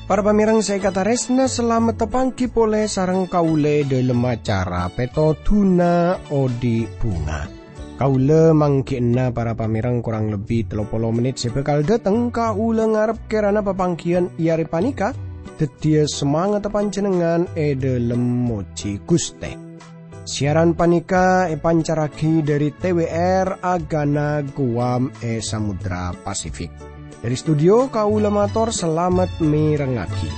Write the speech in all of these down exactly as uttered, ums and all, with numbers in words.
Para pamèrèng sè èkatarèsna, salamet tapangghi polè sareng kaulâ è dhâlem acara Pètodhuna Odi' Bhunga. Kaulâ mangghi'na para pamèrèng korang lebbi tello polo mennit sè bhâkal dhâteng. Kaulâ ngarep kèrana papangghiyân è arè panèka dhâddhiyâ samangatta panjhennengngan è dhâlem mojhi Ghustè. Siaran panèka èpancarraghi dhâri T W R Agana Guam è Samudra Pasifik. Dhâri studio, kaulâ mator salamet mèrengngaghi.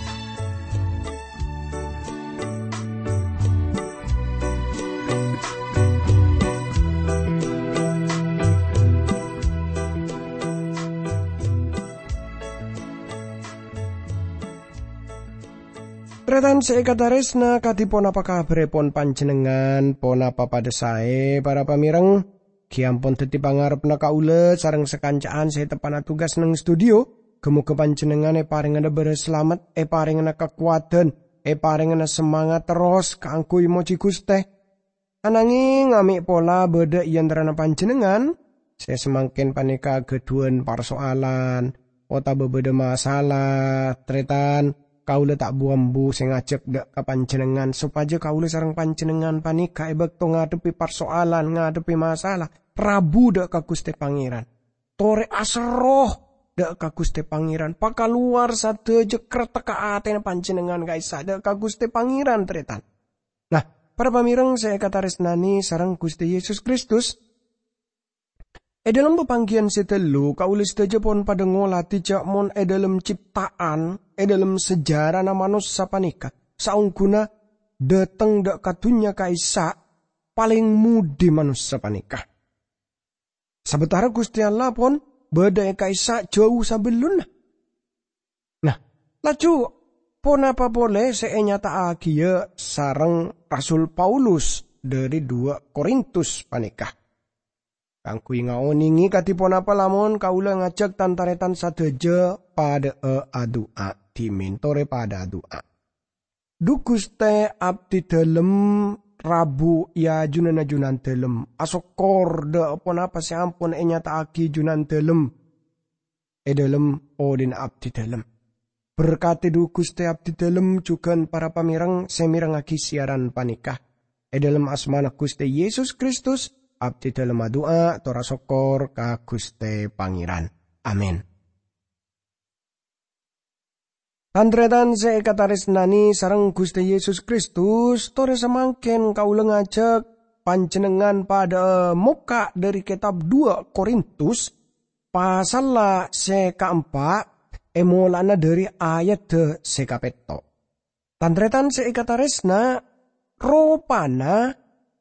Tarètan sè èkatarèsna, kadhi ponapa kabhârrâ pon panjhennengngan? Ponapa padâ saè, para pamèrèng? Ghi' ampon dhâddhi pangarebbhâ kaulâ sareng sakanca'an sè teppa'na tugas neng studio. Ghi-moghi panjhennengngan èparèngana bârâs salamet, èparèngana kakowadhân, èparèngana samangat terros kaangghuy mojhi Ghustè. Anangèng, amè' pola bâdâ è antarana panjhennengngan sè samangkèn panèka ghâdhuwân parsoalan otabâ bâdâ masalah, tarètan, kaulâ ta' bu-ambu sè ngajhâk dhâ' ka panjhennengngan sopajâ kaulâ sareng panjhennengngan panèka è bâkto ngadhebbhi parsoalan, ngadhebbhi masalah, rabu dhâ' ka Ghustè Pangèran. Torè aserro dhâ' ka Ghustè Pangèran, pakalowar sadhâjâ krettekka atèna panjhennengngan ka'issa' dhâ' ka Ghustè Pangèran, tarètan. Nah, para pamèrèng sè èkatarèsnanè sareng Ghustè Yesus Kristus, è dhâlem papangghiyân sè ghâllu, kaulâ sadhâjâ pon padâ ngolatè jhâ' mon è dhâlem cipta'an, è dhâlem sejarana manossa panèka, saongghuna dhâteng dhâ' ka dhunnya ka'issa', palèng mudhi manossa panèka. Sabâtara Ghustè Allah pon bâdâ è ka'issa' jhâu sabellunna. Nah, laju ponapa polè sè ènyata'aghiyâ sareng Rasul Paulus dhâri duwâ' Korintus panèka? Kaangghuy ngaonèngè kadhi ponapa lamon kaulâ ngajhâk tan-tarètan sadhâjâ padâ'â adu'a dhimèn, torè padâ adu'a. Dhu Ghustè, abdhi dhâlem rabu è ajunanna Junandhâlem. Asokkor dhâ' ponapa sè ampon ènyata'aghi Junandhâlem è dhâlem odhi'na abdhi dhâlem. Berkadhi dhu Ghustè abdhi dhâlem jhughân para pamèrèng sè mèrengngaghi siaran panèka. È dhâlem asmana Ghustè Yesus Kristus, abdhi dhâlem adu'a tor asokkor ka Ghustè Pangèran. Amin. Tan-tarètan sè èkatarèsnanè sareng Ghustè Yesus Kristus, torè samangkèn kaulâ ngajhâk panjhennengngan padâ'â mokka' dhâri kètab duwâ' Korintus, pasalla sè kaempa', è mola'na dhâri ayadda sè kapètto'. Tan-tarètan sè èkatarèsna, ropana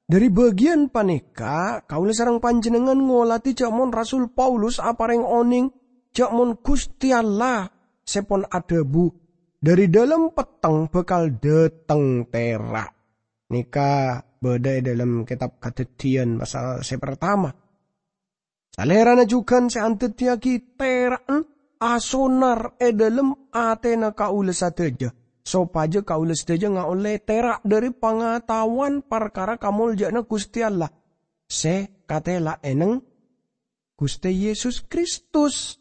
dhâri bâgiyân panèka kaulâ sareng panjhennengngan ngolatè jhâ' mon Rasul Paulus aparèng onèng jhâ' mon Ghustè Allah sè pon adhâbu, "Dhâri dhâlem petteng bhâkal dhâteng tèra'." Nèka bâdâ è dhâlem kètab Kadhâddhiyân pasal sè partama. Salèrana jhughân sè andhâddhiyâghi tèra'en asonar è dhâlem atèna kaulâ sadhâjâ, sopajâ kaulâ sadhâjâ ngaollè tèra' dhâri pangataowan parkara kamoljâ'ânna Ghustè Allah sè katèla è neng Ghustè Yesus Kristus.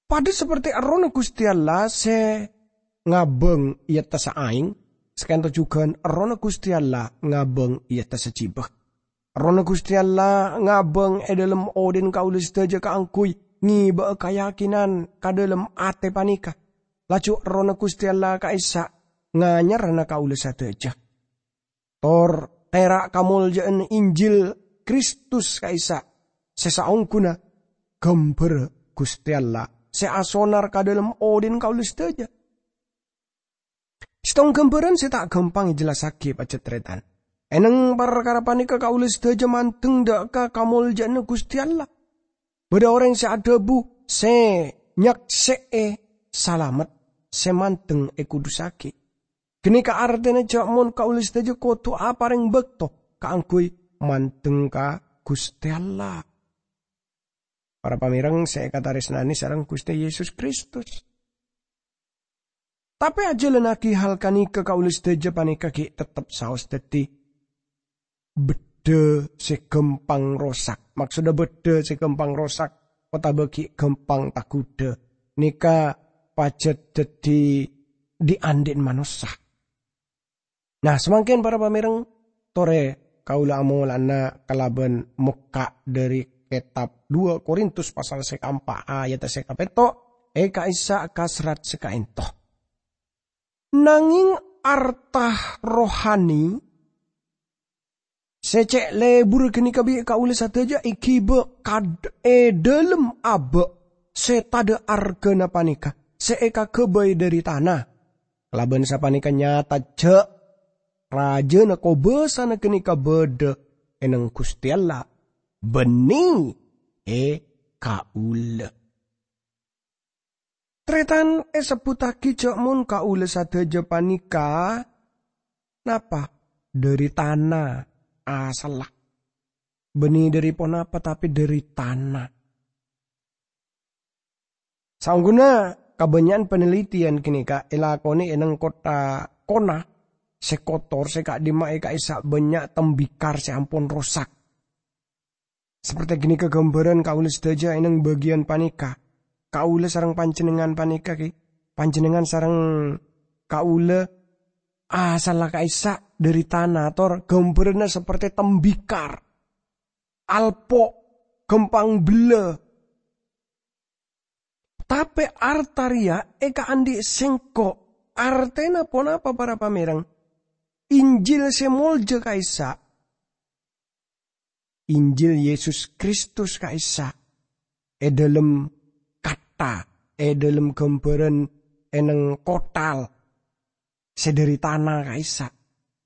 Padâ saperti Errohna Ghustè Allah sè ngabâng è attassa aèng, sakènto jhughân Errohna Ghustè Allah ngabâng è attassa jhibâ. Errohna Ghustè Allah ngabâng è dhâlem odhi'na kaulâ sadhâjâ kaangghuy ngèbâ'â kayakinan ka dhâlem atè panèka. Laju Errohna Ghustè Allah ka'issa' nganyarrâna kaulâ sadhâjâ. Tor tèra' kamoljâ'ân Injil Kristus ka'issa' sè saongghuna ghâmbhârrâ Ghustè Allah sè asonar ka dhâlem odhi'na kaulâ sadhâjâ. Sèttong ghâmbhârân sè ta' ghâmpang èjellassaghi, pajhât tarètan. È neng parkara panèka kaulâ sadhâjâ mandeng dhâ' ka kamoljâ'ânna Ghustè Allah. Bâdâ orèng sè adhâbu, "Sè nyaksè'è salamet, sè mandeng èkudusaghi." Ghânèka artèna jhâ' mon kaulâ sadhâjâ kodhu aparèng bâkto kaangghuy mandeng ka Ghustè Allah. Para pamèrèng sè èkatarèsnanè sareng Ghustè Yesus Kristus. Tapè ajhâlânnaghi hal ghânèka kaulâ sadhâjâ panèka ghi' tettep saos dhâddhi bâddhâ sè ghâmpang rosak. Maksoddhâ bâddhâ sè ghâmpang rosak otabâ ghi' ghâmpang taghudhâ. Nèka pajhât dhâddhi dhi'-andhi'en manossa. Nah, samangkèn para pamèreng, torè kaulâ amolana kalabân mokka' dhâri kètab dua Korintus pasal sè kaempa' ayat sè kapètto', è ka'issa' ka serrat sè kaènto. Nangèng arta rohani sè cè' lebur ghânèka bi' kaulâ sadhâjâ èghibâ kad-, è dhâlem abâ' sè tadâ' arghâna panèka, sè èkaghâbây dhâri tana. Kalabân sapanèka nyata jhâ' rajâna kobâsana ghânèka bâdâ è neng Ghustè Allah, bânnè è kaulâ. Tarètan èsebbhuttaghi jhâ' mon kaulâ sadhâjâ panèka napa? Dhâri tana asalla. Bânnè dhâri ponapa, tapè dhâri tana. Saongghuna kabânnya'an panelitian ghânèka èlakonè è neng kottha Kona sè kotor, sè ka'dimma è ka'issa' bânnya' tembikar sè ampon rosak. Saperti ghânèka ghâmbhârân kaulâ sadhâjâ è neng bâgiyân panèka. Kaulâ sareng panjhennengngan panèka, ghi, panjhennengngan sareng kaulâ asalla ka'issa' dhâri tana, tor ghâmbhârânna saperti tembikar, alpo', ghâmpang bellâ. Tapè arta rèya èkaandhi' sèngko'. Artèna ponapa, para pamèreng? Injil sè molja ka'issa'. Injil Yesus Kristus ka'issa'. È dhâlem kattha, è dhâlem ghâmbhârân è neng kothal sè dhâri tana ka'issa'.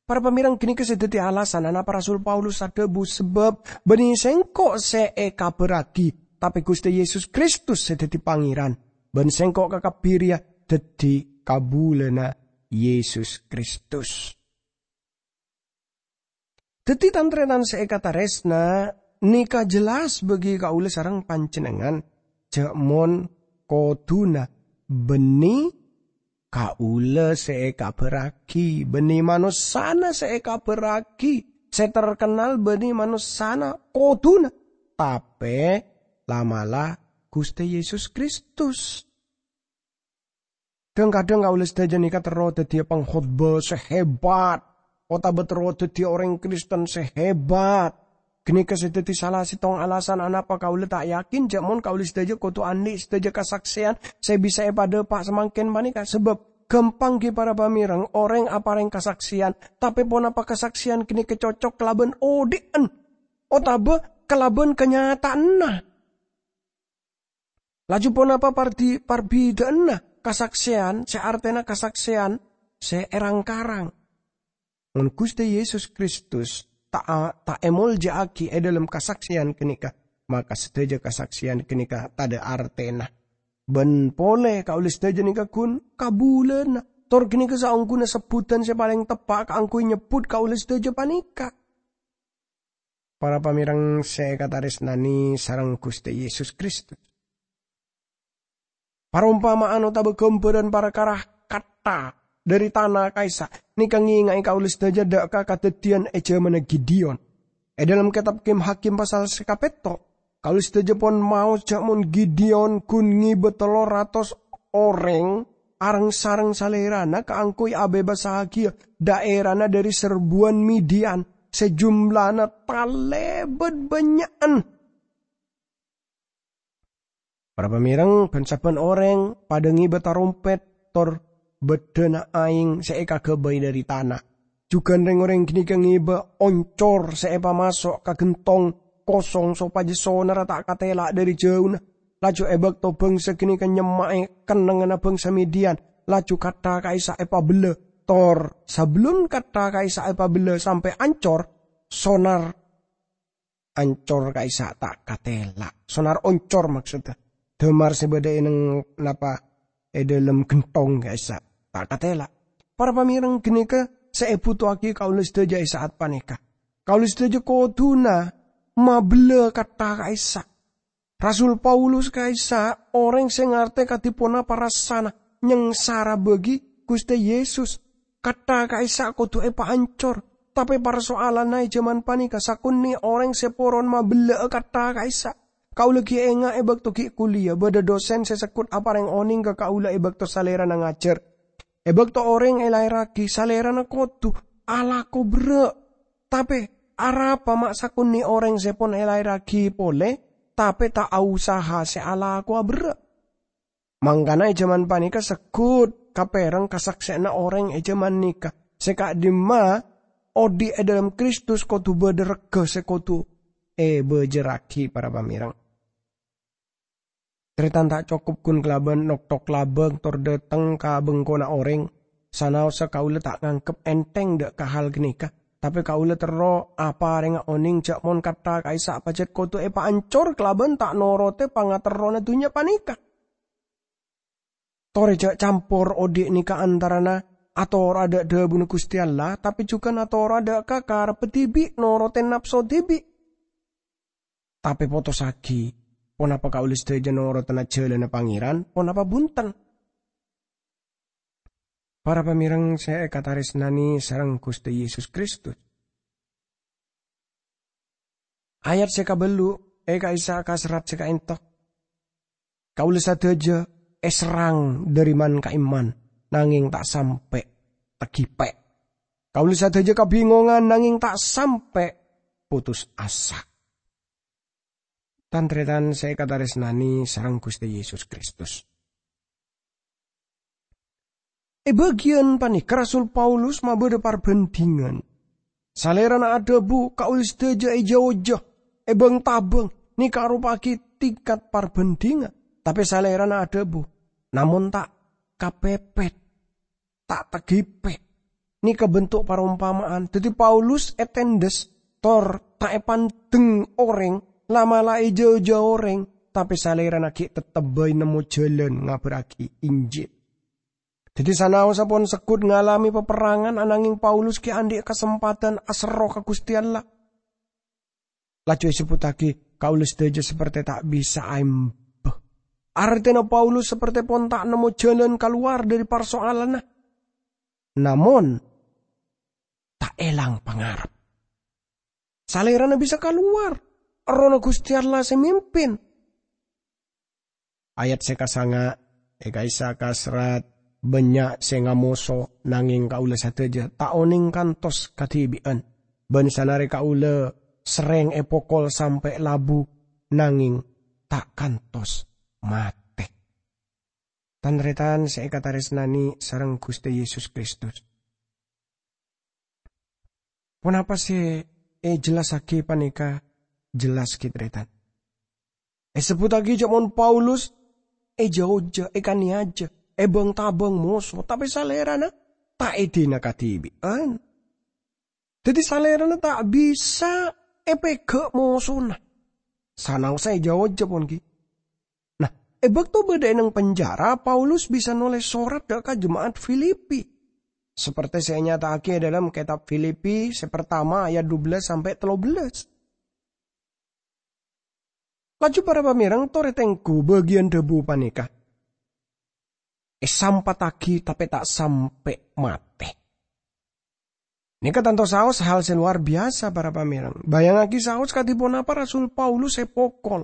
Para pamèreng, ghânèka sè dhâddhi alasan anapa Rasul Paulus adhâbu, "Sabâb bânnè sèngko' sè èkabhârraghi, tapè Ghustè Yesus Kristus sè dhâddhi Pangèran, bân sèngko' kakabbhi rèya dhâddhi kabulâna Yesus Kristus." Dhâddhi, tan-tarètan sè èkatarèsna, nèka jelas bagi kaulâ sareng panjhennengngan, jhâ' mon kodhuna bânnè kaulâ sè èkabhârraghi, bânnè manossana sè èkabhârraghi, sè terkennal bânnè manossana kodhuna, tapè la'-mala' Ghustè Yesus Kristus. Dhâng-kadhâng kaulâ sadhâjâ nèka terro dhâddhiyâ pangkhotbah sè hebat, otabâ terro dhâddhiyâ orèng Kristen sè hebat. Ghânèka sè dhâddhi sala sèttong alasan anapa kaulâ ta' yakin jhâ' mon kaulâ sadhâjâ kodhu andhi' sadhâjâ kasaksèyan sè bisa èpadhâpa' samangkèn panèka. Sabâb ghâmpang ghi para pamèreng orèng aparèng kasaksèyan, tapè ponapa kasaksèyan ghânèka cocok kalabân odhi'en otabâ kalabân kanyataanna? Laju ponapa pardi-, parbidhâ'ânna kasaksèyan sè artèna kasaksèyan sè èrang-karang? Mon Ghustè Yesus Kristus ta', ta' èmolja'aghi è dhâlem kasaksèyan ghânèka, maka sadhâjâ kasaksèyan ghânèka tadâ' artèna. Bân polè kaulâ sadhâjâ nèka ghun kabulâna, tor ghânèka saongghuna sebbhudhân sè palèng teppa' kaangghuy nyebbhut kaulâ sadhâjâ panèka. Para pamèreng sè èkatarèsnanè sareng Ghustè Yesus Kristus. Parompama'an otabâ ghâmbhârân parkara kattha dhâri tana ka'issa' nèka ngènga'è kaulâ sadhâjâ dâ' ka kadhâddhiyân è jhâmanna Gideon. È dhâlem kètab Kim Hakim pasal sè kapètto', kaulâ sadhâjâ pon maos jhâ' mon Gideon ghun ngèbâ tello ratos orèng areng-sareng salèrana kaangghuy abhebassaghiyâ dhaèrana dhâri serbuwân Midian sè jumlana talèbât bânnya'an. Para pamèreng, bân sabbhân orèng padâ ngèbâ tarompèt tor bâddhâna aèng sè èkaghâbây dhâri tana. Jhughân rèng-orèng ghânèka ngèbâ oncor sè èpamaso' ka ghentong kosong sopajâ sonarra ta' katèla' dhâri jhâuna. Laju è bâkto bhângsa ghânèka nyemma'è kennengnganna bhângsa Midian, laju kattha ka'issa' èpabellâ. Tor sabellun kattha ka'issa' èpabellâ sampè' ancor, sonar ancor ka'issa' ta' katèla'. Sonar oncor maksodda. Dâmar sè bâdâ è neng napa è dhâlem ghentong ka'issa' ta' katèla'. Para pamèreng ghânèka sè èbhutoaghi kaulâ sadhâjâ è sa'at panèka. Kaulâ sadhâjâ kodhuna mabellâ kattha ka'issa'. Rasul Paulus ka'issa' orèng sè ngartè kadhi ponapa rassana nyangsara bâgi Ghustè Yesus. Katta ka'issa' kodhu èpaancor. Tapè parsoalanna è jhâman panèka sakonè' orèng sè poron mabella'a katta ka'issa'. Kaulâ ghi' enga' è bâkto ghi' kuliah, bâdâ dosen sè sèkot aparèng onèng ka kaulâ è bâkto salèrana ngajhâr. È bâkto orèng èlaèrraghi, salèrana kodhu alako berrâ'. Tapè arapa ma' sakonè' orèng sè pon èlaèrraghi polè, tapè ta' ausaha sè alakowa berrâ'? Mangkana è jhâman panèka sèkot kapèrèng kasaksè'anna orèng è jhâman nèka, sè ka'dimma odi' è dâlem Kristus kodhu bâdâ regghâ sè kodhu èbâjârraghi, para pamèrèng. Tarètan ta' cokop ghun kalabân noktok labâng tor dâteng ka bengkona orèng. Sanaossa kaulâ ta' nganggep ènthèng dâ' ka hal ghânèka, tapè kaulâ terro aparènga onèng jhâ' mon katta ka'issa' pajhât kodhu èpaancor kalabân ta' norotè pangaterrona dhunnya panèka. Torè jhâ' campor odi' nèka antarana atoro'a dâ' dhâbuna Ghustè Allah, tapè jhughân atoro'a dâ' ka karebbhâ dhibi', norotè napso dhibi'. Tapè potossaghi, ponapa kaulâ sadhâjâ norotana jhâlânna Pangèran, ponapa bhunten? Para pamèrèng sè èkatarèsnanè sareng Ghustè Yesus Kristus. Ayat sè kabâllu' è ka'issa' ka serrat sè ka'ènto. Kaulâ sadhâjâ èserrang dhâri man-ka'imman, nangèng ta' sampè' taghipè'. Kaulâ sadhâjâ kabingongan, nangèng ta' sampè' potos asa. Tan-tarètan sè èkatarèsnanè sareng Ghustè Yesus Kristus. È bâgiyân panèka Rasul Paulus mabâdâ parbhândhingan. Salèrana adhâbu, "Kaulâ sadhâjâ èjâ-ojâ, èbâng-tabâng, nèka aropa'aghi tingkat parbhândhingan." Tapè salèrana adhâbu, "Namong ta' kapèpèt, ta' taghipè'." Nèka bentuk parompama'an. Dhâddhi Paulus ètendhes, tor ta' èpandeng orèng, la'-mala' èjâ-ojâ orèng, tapè salèrana ghi' teptep bhâi nemmo jhâlân ngabhârraghi Injil. Dhâddhi sanaossa pon sègghut ngalamè paperrangan, ananghing Paulus ghi' andi' kasempadhân aserro ka Ghustè Allah. Laju èsebbhuttaghi, "Kaulâ sadhâjâ saperte ta' bisa aèmbâ." Artèna Paulus saperte pon ta' nemmo jhâlân kalowar dhâri parsoalanna. Namong, ta' èlang pangarep. Salèrana bisa kalowar. Errohna Ghustè Allah sè mimpin. Ayat sè kasanga', è ka'issa' ka serrat, "Bânnya' sè ngamoso, nangèng kaulâ sadhâjâ ta' onèng kantos kadhibi'ân. Bân sanarè kaulâ serrèng èpokol sampè' labu, nangèng ta' kantos matè." Tan-tarètan sè èkatarèsnanè sareng Ghustè Yesus Kristus. Ponapa sè èjellassaghi panèka jelas, ghi, tarètan? Èsebbhuttaghi jhâ' mon Paulus èjâ-ojâ, èkanèyajâ, èbâng-tabâng moso, tapè salèrana ta' èdina kadhibi'ân. Dhâddhi salèrana ta' bisa èpèghâ' mosona. Sanaossa èjâ-ojâ pon, ghi. Nah, è bâkto bâdâ è nèng penjara, Paulus bisa nolès sorat dâ' ka jema'at Filipi. Saperte sè ènyata'aghi è dhâlem kètab Filipi sè partama ayat dubellâs sampè' tello bellâs. Laju para pamèrèng, torè tengghu bâgiyân dhâbu panèka. Èsampattaghi tapè ta' sampè' matè. Nèka tanto saos hal sè lowar biyasa, para pamèrèng. Bâjângaghi saos kadhi ponapa Rasul Paulus èpokol.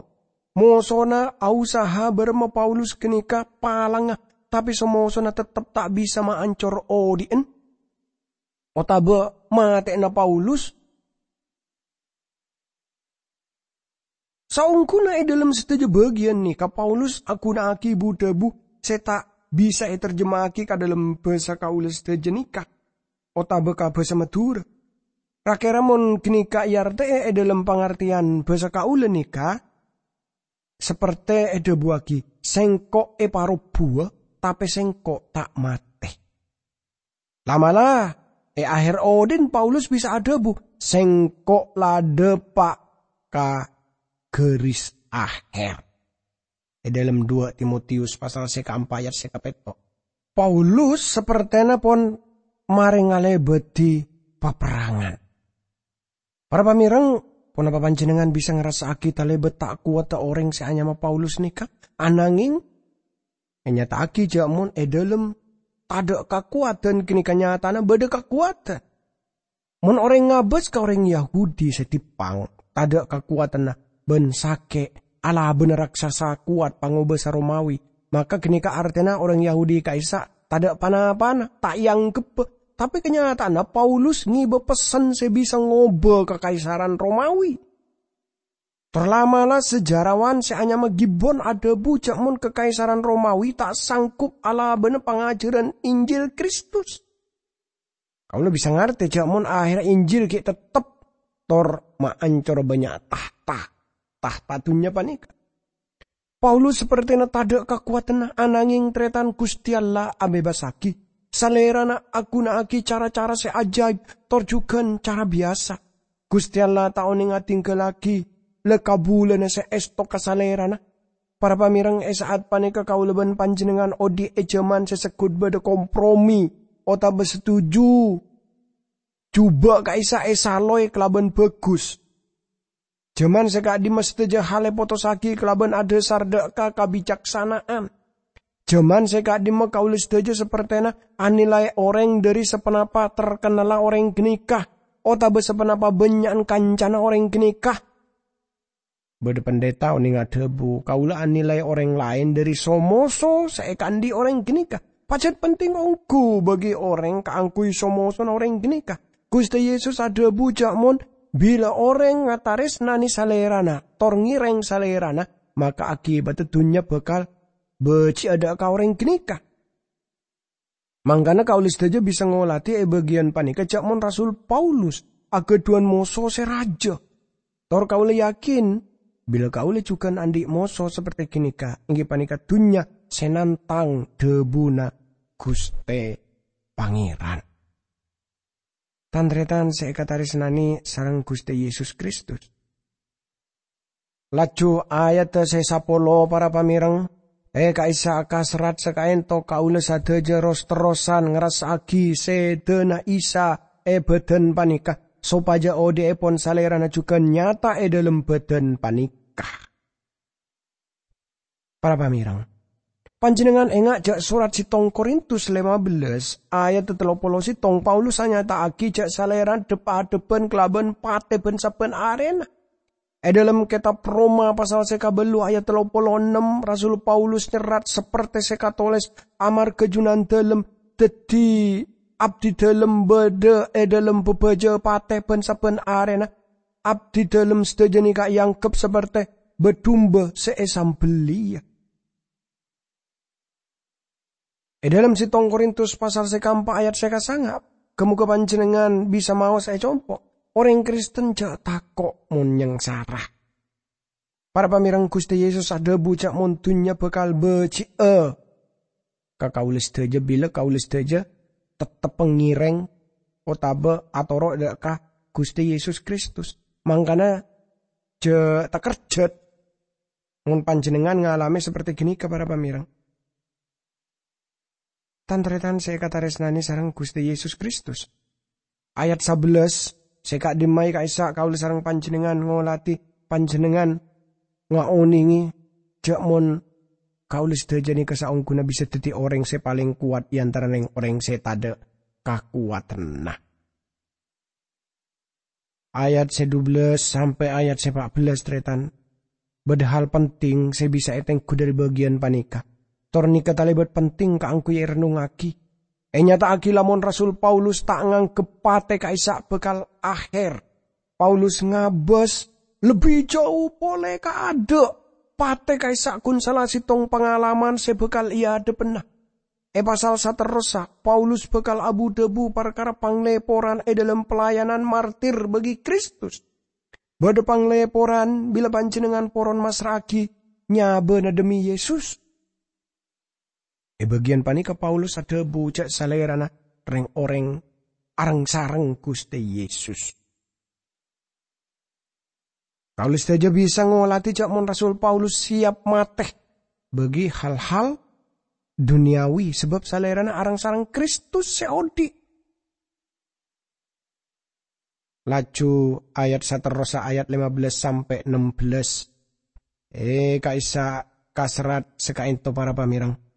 Mosona ausaha bârâmma Paulus ghânèka palangnga, tapè samosona teptep ta' bisa maancor odi'ân otabâ matè'na Paulus. Saongghuna è dhâlem sadhâjâ bâgiyân nèka, Paulus aghuna'aghi bu-dhâbu sè ta' bisa ètarjema'aghi ka dhâlem bhâsa kaulâ sadhâjâ nèka, otabâ ka bhâsa Madhurâ. Ra-kèra mon ghânèka èartè'è è dhâlem pangartèyan bhâsa kaulâ nèka, saperte èdhâbuwaghi, "Sèngko' èparobhuwâ, tapè sèngko' ta' matè." La'-mala', è aher odi'na Paulus bisa adhâbu, "Sèngko' la dâpa' ka ghâris aher." È dhâlem dua Timotius pasal sè kaempa' ayat sè kapètto'. Paulus sapertèna pon marè ngalèbâdhi paperrangan. Para pamèrèng, ponapa panjhennengngan bisa ngrassa'aghi talèbât ta' kowadhdhâ orèng sè anyama Paulus nèka? Ananghing, ènyata'aghi jhâ' mon è dhâlem tadâ' kakowadhân ghânèka nyatana bâdâ kakowadhân. Mon orèng ngabâs ka orèng Yahudi sè dippang, tadâ' kakowadhânna bân sakè' alabâna raksasa kowat pangobâsa Romawi, maka ghânèka artèna orèng Yahudi ka'issa' tadâ' pa-napana, ta' èangghebbhâ. Tapè kanyata'anna Paulus ngibâ pessen sè bisa ngobâ kakaisaran Romawi. Tor la'-mala' sajarawan sè anyama Gibbon adhâbu jhâ' mon kakaisaran Romawi ta' sanggup alabâna pangajhârân Injil Kristus. Kaulâ bisa ngartè jhâ' mon ahèrra Injil ghi' tettep tor maancor bânnya' tahta, tahta dhunnya panèka. Paulus sapertèna tadâ' kakowadhânna, ananghing tarètan Ghustè Allah abhebasaghi. Salèrana aghunaaghi cara-cara sè ajaib, tor jhughân cara biyasa. Ghustè Allah ta' onèng adhinggâllaghi la-kabulâna sè èsto ka Salèrana. Para pamèreng, è sa'at panèka kaulâ bân panjhennengngan odi' è jhâman sè segghut bâdâ kompromi otabâ setuju jhubâ' ka'issa' èsalowè kalabân bhâghus. Jhâman sè ka'dimma sadhâjâ hal èpotossaghi kalabân adhâsar dâ' ka kabicaksana'an. Jhâman sè ka'dimma kaulâ sadhâjâ sapertèna anilai orèng dhâri saponapa terkennalla orèng ghânèka, otabâ saponapa bânnya'an kancana orèng ghânèka. Bâdâ pandhita onèng adhâbu, "Kaulâ anilai orèng laèn dhâri so-moso sè èkaandhi' orèng ghânèka." Pajhât penting ongghu bagi orèng kaangghuy so-mosona orèng ghânèka. Ghustè Yesus adhâbu jhâ' mon bilâ orèng ngatarèsnanè Salèrana, tor ngèrèng Salèrana, maka akibatta dhunnya bhâkal bâji'â dâ' ka orèng ghânèka. Mangkana kaulâ sadhâjâ bisa ngolatè è bâgiyân panèka jhâ' mon Rasul Paulus aghâdhuwân moso sè rajâ. Tor kaulâ yakin, bilâ kaulâ jhughân andhi' moso sapertè ghânèka, èngghi panèka dhunnya sè nantang dhâbuna Ghustè Pangèran. Tan-tarètan sè èkatarèsnanè sareng Ghustè Yesus Kristus. Laju ayadda sè sapolo, para pamèreng, è ka'issa' kaserrat sakaènto kaulâ sadhâjâ ros-terrosan ngrassaaghi sèdhâna Isa è bhâdhân panèka, sopajâ odhi'èpon Salèrana jhughân nyata è dhâlem bhâdhân panèka. Para pamèreng, panjhennengngan enga' jhâ' sorat sèttong Korintus lèma bellâs ayat tello polo sèttong, Paulus anyata'aghi jhâ' Salèrana dhep-adhebbhân kalabân patè bân-sabbhân arèna. È dhâlem kètab Roma pasal sè kabâllu ayat tello polo ennem, Rasul Paulus nyerrat sapertè sè katolès, "Amarghâ Junandalem, dhâddhi abdidalem bâdâ è dhâlem bâbâjâ patè bân-sabbhân arèna. Abdidalem sadhâjâ nèka èangghep sapertè bâ-dumba sè èsambellia." È dhâlem sèttong Korintus pasal sè kaempa' ayat sè kasanga', ghâ-moghâ panjhennengngan bisa maos è compo'. Orèng Kristen jhâ' tako' mon nyangsara. Para pamèreng, Ghustè Yesus adhâbu jhâ' mon dhunnya bhâkal bâji'â ka kaulâ sadhâjâ bilâ kaulâ sadhâjâ tettep ngèrèng otabâ atoro' dâ' ka Ghustè Yesus Kristus. Mangkana jhâ' takerjhât mon panjhennengngan ngalamè sapertè ghânèka, para pamèreng. Tan-tarètan sè èkatarèsnanè sareng Ghustè Yesus Kristus. Ayat sabellâs, sè ka'dimma è ka'issa' kaulâ sareng panjhennengngan ngolatè, panjhennengngan ngaonèngè jhâ' mon kaulâ sadhâjâ nèka saongghuna bisa dhâddhi orèng sè palèng kowat è antarana rèng-orèng sè tadâ' kakowadhânna. Ayat sè dubellâs sampè' ayat sè pa'bellâs, tarètan. Bâdâ hal penting sè bisa ètengghu dhâri bâgiyân panèka. Tor nèka talèbât penting kaangghuy èrennungngaghi. Ènyata'aghi lamon Rasul Paulus ta' nganggep patè ka'issa' bhâkal ahèr. Paulus ngabâs lebbi jhâu polè kaadâ'. Patè ka'issa' ghun sala sèttong pangalaman sè bhâkal èadhebbhâna. È pasal saterrossa, Paulus bhâkal abu-dhâbu parkara panglèporan è dhâlem pelayanan martir bagi Kristus. Bâdâ panglèporan bilâ panjhennengngan poron massra'aghi nyabâna dhemmi Yesus. È bâgiyân panèka Paulus adhâbu jhâ' salèrana rèng-orèng areng-sareng Ghustè Yesus. Kaulâ sadhâjâ bisa ngolatè jhâ' mon Rasul Paulus siap matè bagi hal-hal duniyawi, sabâb salèrana areng-sareng Kristus sè odi'. Laju ayat saterrossa, ayat lèma bellâs sampè' nembellâs. È, ka'issa' kaserrat sè ka'ènto, para pamèreng.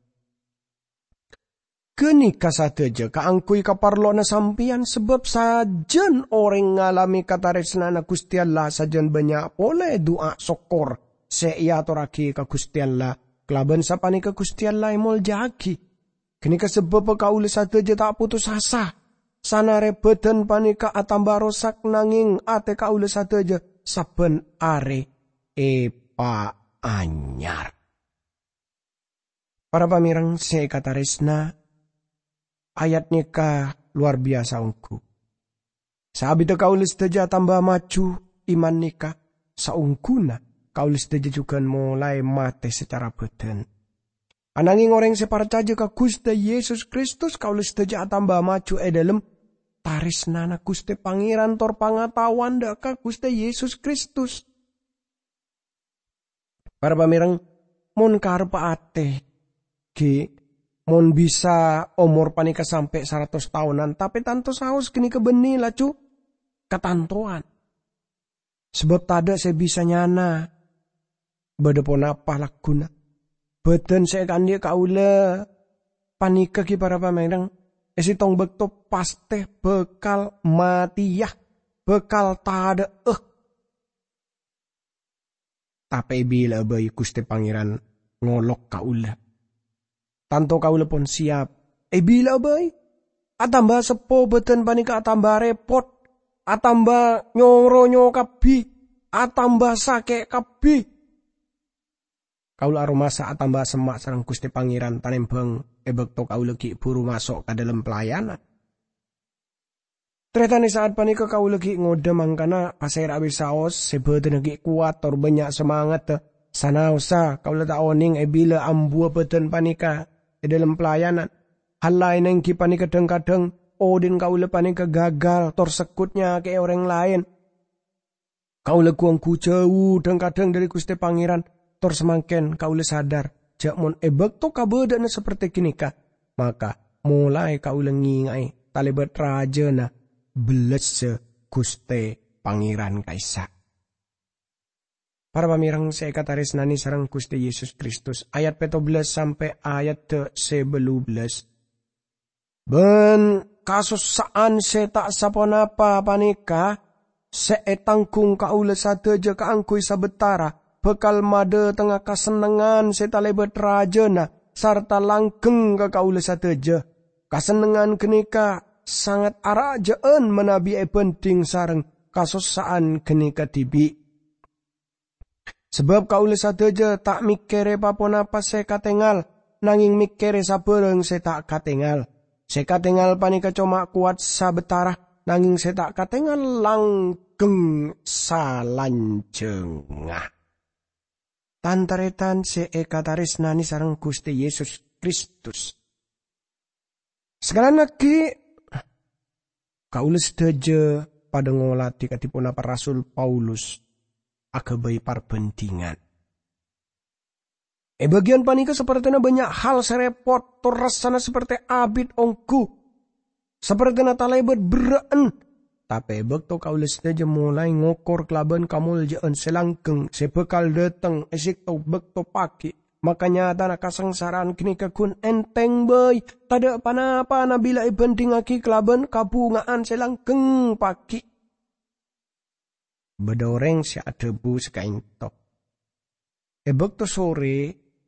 Ghânèka sadhâjâ kaangghuy kaparlowanna sampèyan, sabâb sajân orèng ngalamè kataresnana Ghustè Allah sajân bânnya' polè du'a sokkor sè èatorraghi ka Ghustè Allah, kalabân sapanèka Ghustè Allah èmolja'aghi. Ghânèka sabâbbhâ kaulâ sadhâjâ ta' potos asa. Sanarè bhâdhân panèka atamba rosak, nangèng atè kaulâ sadhâjâ sabbhân arè èpaanyar. Para pamèreng sè èkatarèsna, ayat nèka lowar biyasa ongghu. Saabiddhâ kaulâ sadhâjâ atamba maju iman nèka, saongghuna kaulâ sadhâjâ jhughân molaè matè sacara bhâdhân. Anangèng orèng sè parcajâ ka Ghustè Yesus Kristus, kaulâ sadhâjâ atamba maju è dhâlem tarèsnana Ghustè Pangèran tor pangataowan dhâ' ka Ghustè Yesus Kristus. Para pamèreng, mon karebbhâ atè, ghi' mon bisa omor panèka sampè' saratos taonan, tapè tanto saos ghânèka bânnè laju katantowan. Sabâb tadâ' sè bisa nyana bâdâ ponapa lagghuna. Bhâdhân sè èkaandhi' kaulâ panèka ghi' para pamèreng, è sèttong bâkto pastè bhâkal matèya, bhâkal tadâ'â. Tapè èbila'a bhâi Ghustè Pangèran ngolok kaulâ. Tanto kaulâ pon sèyap. Èbila'a bhâi. Atamba seppo bhâdhân panèka atamba rèpot, atamba nyoro-nyoro kabbhi, atamba sakè' kabbhi. Kaulâ aromasa atamba semma' sareng Ghustè Pangèran tanèmbhâng è bâkto kaulâ ghi' bhuru maso' ka dhâlem pelayanan. Tarètan è sa'at panèka kaulâ ghi' ngodâ mangkana pasèra bhâi saos sè bhâdhânna ghi' kowat tor bânnya' samangaddhâ. Sanaossa kaulâ ta' onèng è bilâ ambuwâ bhâdhân panèka è dhâlem pelayanan. Hal laènna èngghi panèka dhâng-kadhâng odhi'na kaulâ panèka gagal tor segghut nyakè'è orèng laèn. Kaulâ ghu-ongghu jhâu dhâng-kadhâng dhâri Ghustè Pangèran, tor samangkèn kaulâ sadhâr jhâ' mon è bâkto kabâdâ'ânna sapertè ghânèka, maka molaè kaulâ ngènga'è talèbât rajâna bellassa Ghustè Pangèran ka'issa'. Para pamèreng sè èkatarèsnanè sareng Ghustè Yesus Kristus, ayat pètto bellâs sampè' ayat sè bâllu bellâs. Bân kasossa'an sè ta' saponapa panèka sè ètangghung kaulâ sadhâjâ kaangghuy sabâtara bhâkal madhâtengnga kasennengngan sè talèbât rajâna sarta langgheng ka kaulâ sadhâjâ. Kasennengngan ghânèka sanget arajâ'ân manabi èbhândhing sareng kasossa'an ghânèka dhibi'. Sabâb kaulâ sadhâjâ ta' mèkkèrè pa-ponapa sè katèngal, nangèng mèkkèrè sabhârâng sè ta' katèngal. Sè katèngal panèka coma kowat sabâtara, nangèng sè ta' katèngal langgheng salanjhângnga. Tan-tarètan sè èkatarèsnanè sareng Ghustè Yesus Kristus. Sakalangkong aghi', kaulâ sadhâjâ padâ ngolatè kadhi ponapa Rasul Paulus aghâbây parbhândhingan. È bâgiyân panèka sapertèna bânnya' hal sè rèpot, tor rassana sapertè abit ongghu, sapertèna talèbât berrâ'ân. Tapè è bâkto kaulâ sadhâjâ molaè ngokor kalabân kamoljâ'ân sè langgheng sè bhâkal dhâteng è sèttong bâkto paghi', makanyatana kasangsara'an ghânèka ghun ènthèng bhâi, tadâ' pa-napana bilâ èbhândhingngaghi kalabân kabhunga'an sè langgheng paghi'. Bâdâ orèng sè adhâbu sè ka'ènto, "È bâkto sorè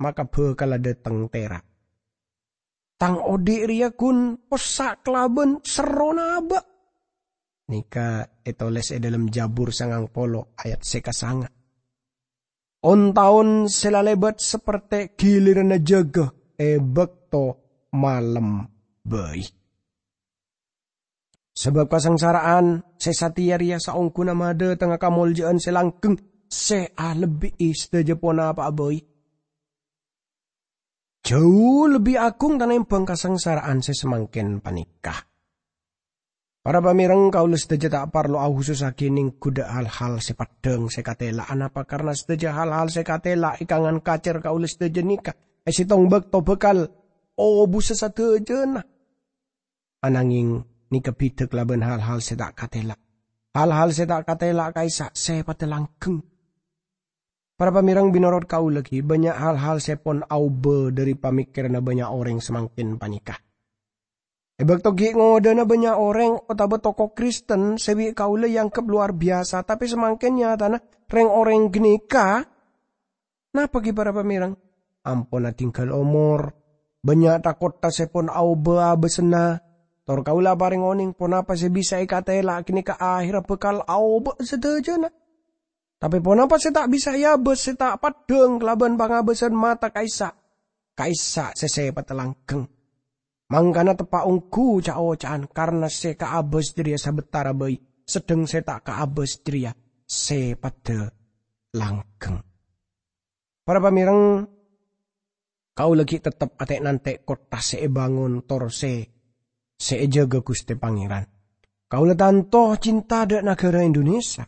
maka bhâkal adhâteng tèra'. Tang odhi' rèya ghun possa' kalabân serrona abâ'." Nèka ètolès è dhâlem Jabur sangang polo ayat sè kasanga. On-taon sè lalèbât sapertè ghiliranna jâgâ è bâkto malem bhâi. Sabâb kasangsara'an sè satèya rèya saongghuna madhâtengnga kamoljâ'ân sè langgheng sè alebbi'i sadhâjâ ponapa'a bhâi. Jhâu lebbi agung tanèmbhâng kasangsara'an sè samangkèn panèka. Para pamèreng, kaulâ sadhâjâ ta' parlo ahusussaghi nèngghu dhâ' hal-hal sè peddhâng sè katèla'. Anapa? Karna sadhâjâ hal-hal sè katèla' è kangan kacèr kaulâ sadhâjâ nèka è sèttong bâkto bhâkal obusa sadhâjâna. Anangèng nèka bhidhâ kalabân hal-hal sè ta' katèla'. Hal-hal sè ta' katèla' ka'issa' sèpaddhâ langgheng. Para pamèreng, mènorot kaulâ ghi, bânnya' hal-hal sè pon aobâ dhâri pamèkkèranna bânnya' orèng samangkèn panèka. È bâkto ghi' ngodâna bânnya' orèng otabâ toko Kristen sè bi' kaulâ èangghep lowar biyasa, tapè samangkèn nyatana rèng-orèng ghânèka. Napa ghi' para pamèreng? Ampon adhingghâl omor, bânnya' tha-kottha sè pon aobâ abâsânna, tor kaulâ aparèng onèng ponapa sè bisa èkatèla' ghânèka ahèrra bhâkal aobâ sadhâjâna. Tapè ponapa sè ta' bisa èabâs sè ta' peddhâng kalabân pangabâsân mata ka'issa', ka'issa' sè sèpaddhâ langghâng? Mangkana teppa' ongghu ca'-oca'an, karna sè kaabâs jârèya sabâtara bhâi, sedheng sè ta' kaabâs jârèya sèpaddhâ langghâng. Para pamèreng, kaulâ ghi' tettep atè'-nantè' kottha sè èbângon tor sè, sè èjâgâ Ghustè Pangèran. Kaulâ tanto cinta dâ' naghârâ Indonesia,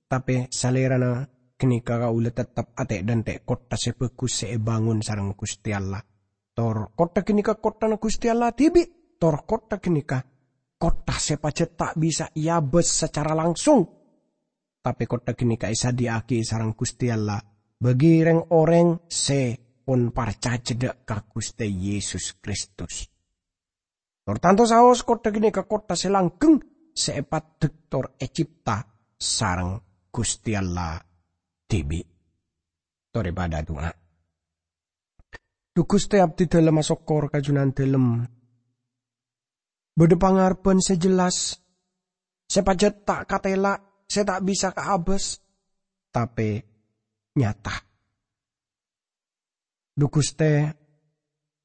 tapè salèrana ghânèka kaulâ tettep atè'-nantè' kottha sè bhâghus sè èbângon sareng Ghustè Allah. Tor kottha ghânèka kottana Ghustè Allah dhibi', tor kottha ghânèka kottha sè pajhât ta' bisa èabâs sacara langsung. Tapè kottha ghânèka èsadhiyâ'aghi sareng Ghustè Allah bagi rèng-orèng sè pon parcajâ dâ' ka Ghustè Yesus Kristus. Tor tanto saos kottha ghânèka kottha sè langghâng sè èpaddhâk tor ècipta sareng Ghustè Allah dhibi'. Torè padâ adu'a. Dhu Ghustè, abdhi dhâlem asokkor ka Junandâlem. Bâdâ pangarebbhân sè jelas, sè pajhât ta' katèla', sè ta' bisa kaabâs, tapè nyata. Dhu Ghustè,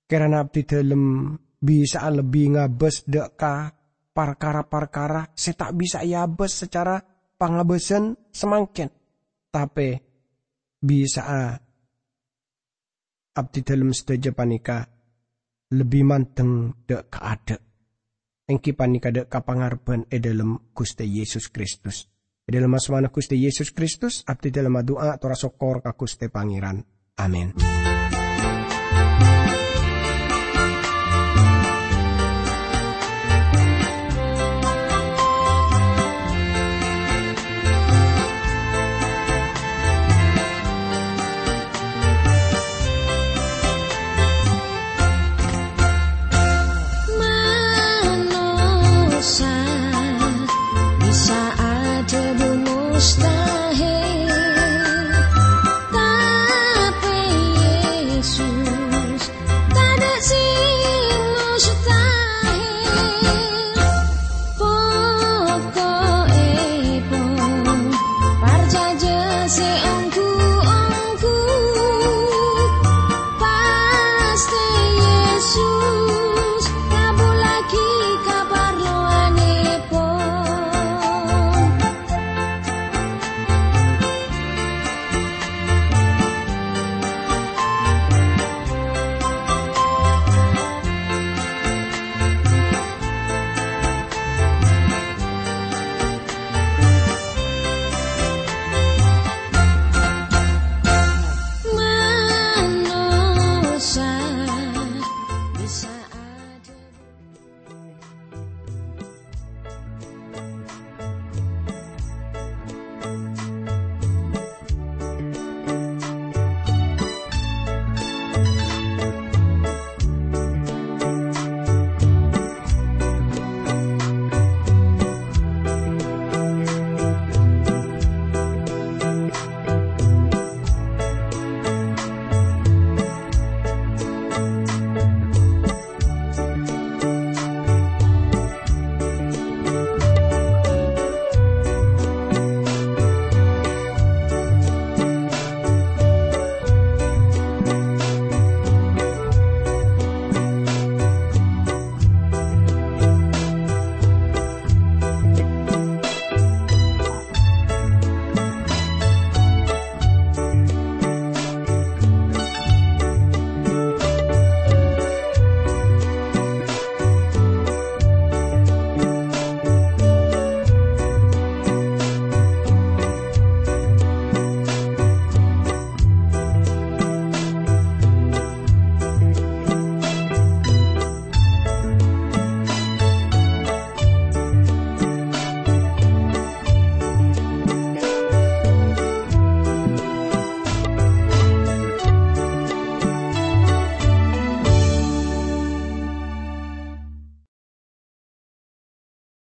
kèrana abdhi dhâlem bisa'a lebbi ngabâs dâ' ka parkara-parkara sè ta' bisa èabâs sacara pangabâsân samangkèn, tapè bisa'a abdhi dhâlem sadhâjâ panèka lebbi mandeng dâ' ka adâ', èngghi panèka dâ' ka pangarebbhân è dhâlem Ghustè Yesus Kristus. È dhâlem asmana Ghustè Yesus Kristus, abdhi dhâlem adu'a tor asokkor ka Ghustè Pangèran. Amin.